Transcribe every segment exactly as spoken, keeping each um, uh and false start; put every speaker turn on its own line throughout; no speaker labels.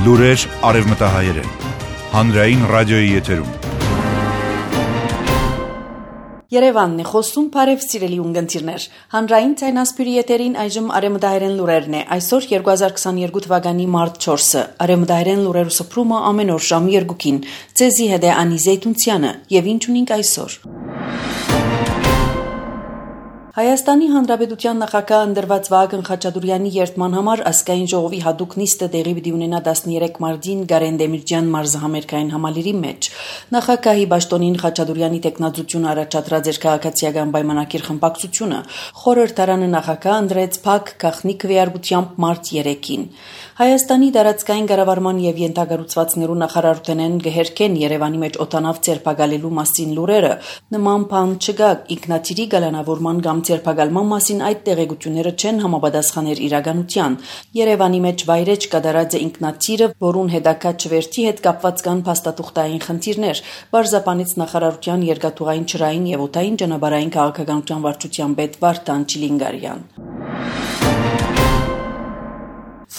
Լուրեր արևմտահայերեն, հանրային ռադիոյի եթերում։
Երևանն է խոսում, բարև սիրելի ունգընտիրներ։ Հանրային ցայնասպյուրի եթերին այժմ արևմտահայերեն լուրերն է։ Այսօր երկու հազար քսաներկու թվականի մարտ չորսը։ Արևմտահայերեն լուրերու սփռումը ամեն օր ժամը երկուքին։ Ցեզի հետ է Անի Զեյթունցյանը, եւ ինչ ունենք այսօր։ Հայաստանի Հանրապետության նախագահ ընտրված Վահագն Խաչատուրեանի երդման համար ազգային ժողովի հատուկ նիստը տեղի պիտի ունենա տասներեք մարտին Գարեն Դեմիրճյան մարզահամերգային համալիրի մեջ։ Նախագահի պաշտոնին Խաչատուրեանի տեխնացությունը առաջադրած էր քաղաքացիական պայմանագիր խմբակցությունը։ Խորհրդարանը նախագահ ընտրեց Փակ Գախնի քվեարկությամբ մարտ երեքին։ Հայաստանի տարածքային կառավարման եւ յենթագառուցվածքներու նախարարութենեն գհերքեն Երևանի մեջ օտանավ ցերպակալելու մասին լուրերը։ Նման բան չկա, ինքնաթիռի գալանավորման կամ ցերպակալման մասին այդ տեղեկությունները չեն համապատասխաներ իրականության։ Երևանի մեջ վայրեջ կատարած է ինքնաթիռը, որուն հետակա չվերթի հետ կապված կան փաստաթուղթային խնդիրներ։ Բարձրապանից նախարարության երկաթուղային ճրային եւ օդային ճանապարհային քաղաքականության վարչության պետ Վարդան Չիլինգարյան։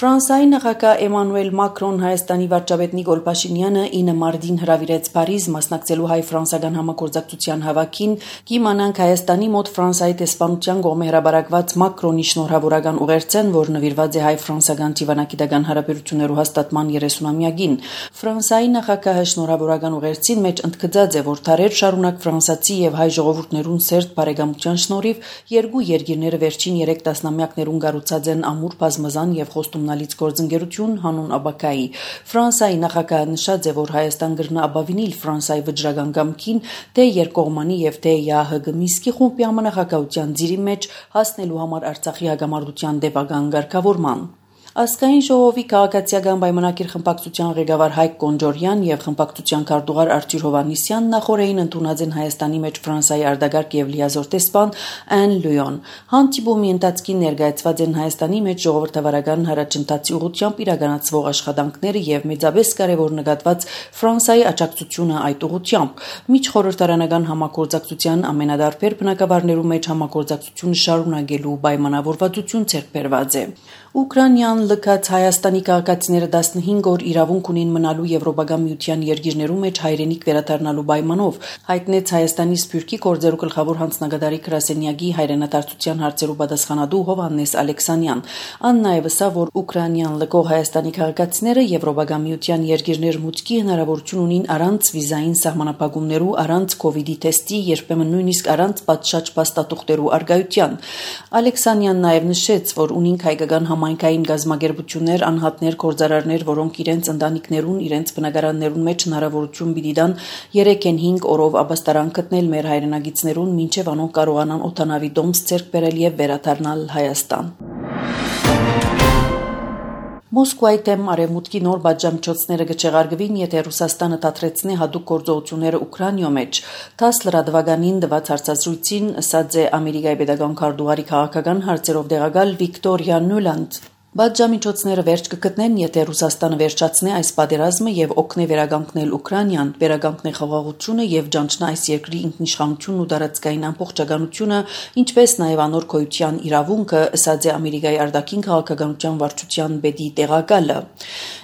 Ֆրանսիայի նախագահ Էմանուել Մակրոն Հայաստանի վարչապետ Նիկոլ Փաշինյանը ինը մարտին հրավիրեց Փարիզ մասնակցելու հայ-ֆրանսիական համագործակցության հավաքին, կիմանանք Հայաստանի մոտ Ֆրանսիայի տեսփանության կողմէ հրաբարակված Մակրոնի շնորհավորական ուղերձեն, որ նվիրված է հայ-ֆրանսիական դիվանագիտական հարաբերություններու հաստատման երեսունամյակին։ Ֆրանսիայի նախագահը շնորհավորական ուղերձին մեջ ընդգծած է, որ դարեր շարունակ ֆրանսիացի եւ հայ ժողովուրդներուն սերտ բարեկամության շնորհիվ երկու երկիրները վերջին երեք տասնամյակներուն կառուցած են ամուր բազմազան եւ խոստումնալից գործընկերություն հանուն աբակայի։ Ֆրանսիայի նախագահը նշած է, որ Հայաստան կրնա ապավինել Ֆրանսիայի վճռական կամքին, թե երկկողմանի եւ թե ԵԱՀԿ Միսկի խումբի համանախագահության ծիրի մեջ հասնելու համար Արցախի հակամարտության դեպական ղեկավարման։ Ազգային ժողովի քաղաքացիական պայմանագիր խմբակցության ղեկավար Հայկ Կոնջորյան եւ խմբակցության քարտուղար Արտյուր Հովհաննիսյանն նախորդին ընդունած են Հայաստանի մեջ Ֆրանսիայի արտագաղթ եւ լիազոր տեսփան Ան Լյուոն։ Հանդիպումի ընթացքին ներկայացված են Հայաստանի մեջ ժողովրդավարական հարաճընթացի ուղղությամբ իրականացվող աշխատանքները եւ մեծապես կարեւոր նկատված Ֆրանսիայի աջակցությունը այդ ուղղությամբ։ Միջխորհրդարանական համագործակցության ամենադարբեր բնակավարներու մեջ համագործակցությունը շարունակելու պայմանավորվածություն ձեռք բերված է։ Ուկրաինան լքած Հայաստանի քաղաքացիները տասնհինգ օր իրավունք ունին մնալու Եվրոպական միության երկիրներու մեջ հայրենիք վերադառնալու պայմանով, հայտնեց Հայաստանի Սփյուռքի գործերու գլխավոր հանձնագետարի գրասենյակի հայրենադարձության հարցերու պատասխանատու Հովհաննես Ալեքսանյան։ Ան նաև ասավ, որ Ուկրաինան լքող Հայաստանի քաղաքացիները Եվրոպական միության երկիրներ մուտքի հնարավորություն ունին առանց վիզային սահմանափակումներու, առանց կովիդի թեստի, երբեմն նույնիսկ առանց պատշաճ փաստաթուղթերու արգայության։ Ալեքսանյանն նաև նշեց, որ ունին հայկական համայնքային գազագերբություններ, անհատներ, գործարարներ, որոնք իրենց ընտանիքներուն, իրենց բնակարաններուն մեջ հնարավորություն պիտի տան երեքեն հինգ օրով ապաստարանք գտնել մեր հայրենագիցներուն, մինչև անոնք կարողանան օդանավի դոմս ձեռք բերել եւ վերադառնալ Հայաստան։ Մոսկվայի դեմ արևմուտքի նոր պատժամիջոցները կչեղարկվին, եթե Ռուսաստանը դադրեցնի հատուկ գործողությունները Ուկրաինայում մեջ։ Տաս լրատվականին տված հարցազրույցին ասաց է Ամերիկայի պետական քարտուղարի քաղաքական հարցերով տեղակալ Վիկտորիա Նյուլանդ։ Պատժամիջոցները վերջ կգտնեն, եթե Ռուսաստանը վերջացնի այս պատերազմը եւ օգնի վերականգնել Ուկրաինան, վերականգնի խաղաղությունը եւ ճանչնա այս երկրի ինքնիշխանությունն ու տարածքային ամբողջականությունը, ինչպես նաեւ անոր գոյության իրավունքը, ասաց է Ամերիկայի արտաքին քաղաքականության վարչության պետի տեղակալը։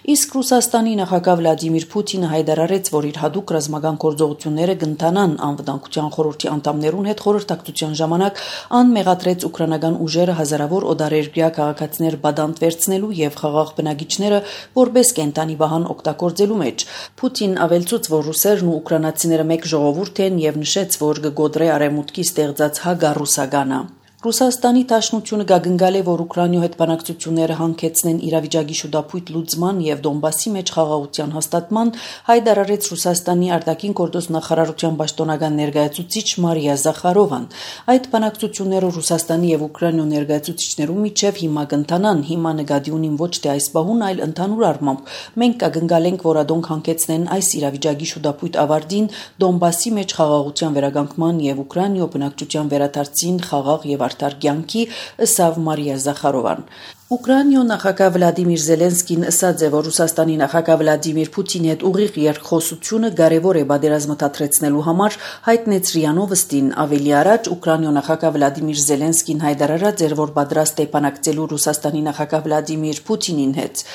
Իսկ Ռուսաստանի նախագահ Վլադիմիր Պուտինը հայտարարեց, որ իր հատուկ ռազմական գործողությունները կընթանան անվտանգության խորհրդի անդամներուն հետ խորհրդակցության ժամանակ, անմեղադրեց ուկրաինական ուժերը հազարավոր օտարերկրյա քաղաքացիներ բադանտ վերցնելու եւ խաղաղ բնակիչները որպես կենտանի վահան օգտագործելու մեջ։ Պուտին ավելցուց, որ ռուսերն ու ուկրաինացիները մեկ ժողովուրդ են եւ նշեց, որ կգոդրե արևմուտքի ստեղծած հագառուսականը։ Ռուսաստանի Դաշնությունը գագնգալ է, որ Ուկրաինայու հետ բանակցությունները հանգեցնեն իրավիճակի շուտապույտ լուծման եւ Դոնբասի մեջ խաղաղության հաստատման, հայտարարեց Ռուսաստանի արտաքին գործոս նախարարության պաշտոնական ներկայացուցիչ Մարիա Զախարովան։ Այդ բանակցությունները Ռուսաստանի եւ Ուկրաինայու ներկայացուցիչներու միջև հիմա կընթանան, հիմա նկատի ունին ոչ թե այս բահուն, այլ ընդհանուր առմամբ։ Մենք կգնգալենք, որ ադոնք հանգեցնեն այս իրավիճակի շուտապույտ ավարտին, Դոնբասի մեջ խաղաղության վերականգնման եւ Ուկրաինայու բնակչության վերադարձին խաղաղ եւ արդար կյանքի, ըսավ Մարիա Զախարովան։ Ուկրաինայ նախագահ Վլադիմիր Զելենսկին ասաց է, որ Ռուսաստանի նախագահ Վլադիմիր Պուտինի հետ ուղիղ երկխոսությունը կարևոր է պատերազմը թատրեցնելու համար, հայտնեց ՌԻԱ Նովոստին։ Ավելի առաջ Ուկրաինայ նախագահ Վլադիմիր Զելենսկին հայտարարած էր, որ պատրաստ է բանակցելու Ռուսաստանի նախագահ Վլադիմիր Պուտինին հետ։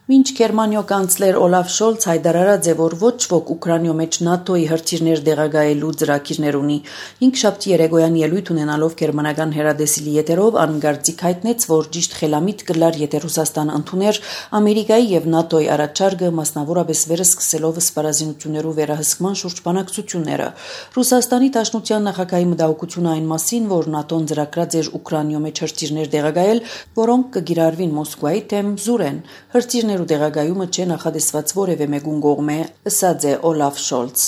Մինչ Գերմանիո կանցլեր Օլաֆ Շոլց հայտարարած է, որ ոչ ոք Ուկրաինայ մեջ ՆԱՏՕ-ի հրթիռներ դեղագայելու ծրագիրներ ունի։ Հինգշաբթի երեկոյան ելույթ ունենալով գերմանական հեռադեսիլի եթերով անգարձիկ հայտնեց, որ ճիշտ խելամիտ կլար, եթե Ռուսաստանը ընդուներ Ամերիկայի եւ ՆԱՏՕ-ի առաջարկը, մասնավորապես վերսկսելով սպառազինություններու վերահսկման շուրջ բանակցությունները։ Ռուսաստանի Դաշնության նախագահի մտահոգությունը այն մասին, որ ՆԱՏՕ-ն ծրագրած էր Ուկրաինայ մեջ հրթիռներ դեղագայել, որոնք կգիրառվին Մոսկվայի դեմ զուրեն։ Հրթիռներու դեղագայումը չէ նախադեсված որևէ մեկուն կողմէ, ասաց է Օլաֆ Շոլց։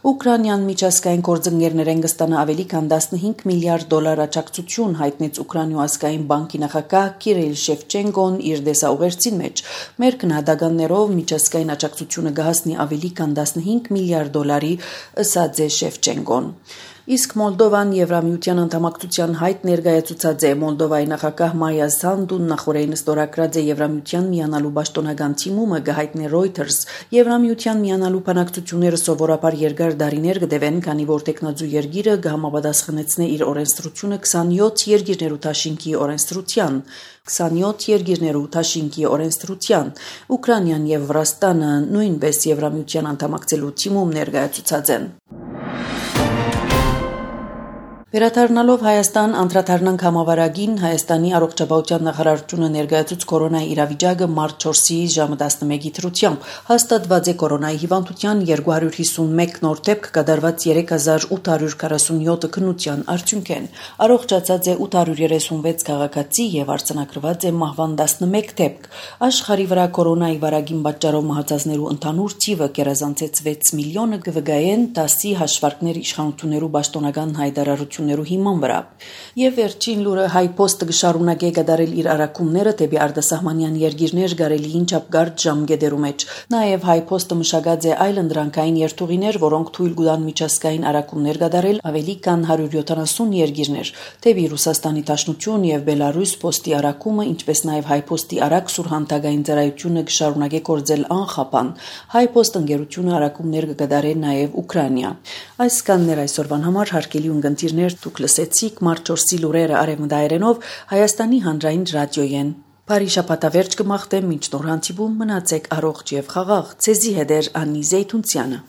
Ուկրաինյան միջազգային գործընկերներեն կստանա ավելի քան տասնհինգ միլիարդ դոլար աջակցություն, հայտնեց Ուկրաինայ ազգային բանկի նախագահ Կիրիլ Շևչենկոն իր դեսաուղերձին մեջ։ Մեր քննադատաններով միջազգային աջակցությունը կհասնի ավելի քան տասնհինգ միլիարդ դոլարի, ասաց է Շևչենկոն։ Իսկ Մոլդովան Եվրամիության անդամակցության հայտ ներկայացուցած է։ Մոլդովայի նախագահ Մայա Սանդուն նախորդին ստորագրած է Եվրամիության միանալու պաշտոնական թիմումը, գահիտնի Reuters։ Եվրամիության միանալու բանակցությունները սովորաբար երկար տարիներ կդևեն, քանի որ տեխնոձու երկիրը կհամապատասխանեցնե իր օրենսդրությունը քսանյոթ երկիրներու դաշինքի օրենսդրության։ քսանյոթ երկիրներու դաշինքի օրենսդրության։ Ուկրաինան եւ Վրաստանը նույնպես Եվրամիության անդամակցելու թիմում ներկայացուցած են։ Վերադառնալով Հայաստան անդրադառնանք համավարակին, Հայաստանի առողջապահության նախարարությունը ներկայացուց կորոնայի իրավիճակը մարտ չորսի ժամը տասնմեկի դրությամբ։ Հաստատված է կորոնայի հիվանդության երկու հարյուր հիսունմեկ նոր դեպք, կատարված երեք հազար ութ հարյուր քառասունյոթ քննության արդյունքեն։ Առողջացած է ութ հարյուր երեսունվեց քաղաքացի եւ արձանագրված է մահվան տասնմեկ դեպք։ Աշխարհի վրա կորոնայի վարակին պատճառով մահացածներու ընդհանուր թիվը գերազանցեց վեց միլիոնը, կվգայեն դասի հաշվարկներ իշխանություններու պաշտոնական հայտարարություններու հիման վրա։ Եվ վերջին լուրը Հայփոստը կշարունակե կատարել իր առաքումները դեպի արտասահմանյան երկիրներ գարելիին չափգարդ ժամկետերու մեջ։ Նաև Հայփոստը մշակած է այլ ընդրանքային երթուղիներ, որոնք թույլ կտան միջազգային առաքումներ կատարել ավելի քան հարյուր յոթանասուն երկիրներ։ Դեպի Ռուսաստանի Դաշնություն եւ Բելարուս փոստի առաքումը, ինչպես նաև Հայփոստի արագ սուրհանդակային ծառայությունը կշարունակե գործել անխափան։ Հայփոստ ընկերությունը առաքումներ կկատարի նաև Ուկրաինա։ Այսքանն էր այսօրվան համար, հարգելի ունկնդիրներ, դուք լսեցիք մարտ չորսի լուրերը արևմտայերենով Հայաստանի հանրային ռադիոյեն։ Բարի շաբաթավերջ կմաղթեմ, մինչ նոր հանդիպում մնացեք առողջ եւ խաղաղ։ Ցեզի հետ էր Անի Զեյթունցյանը։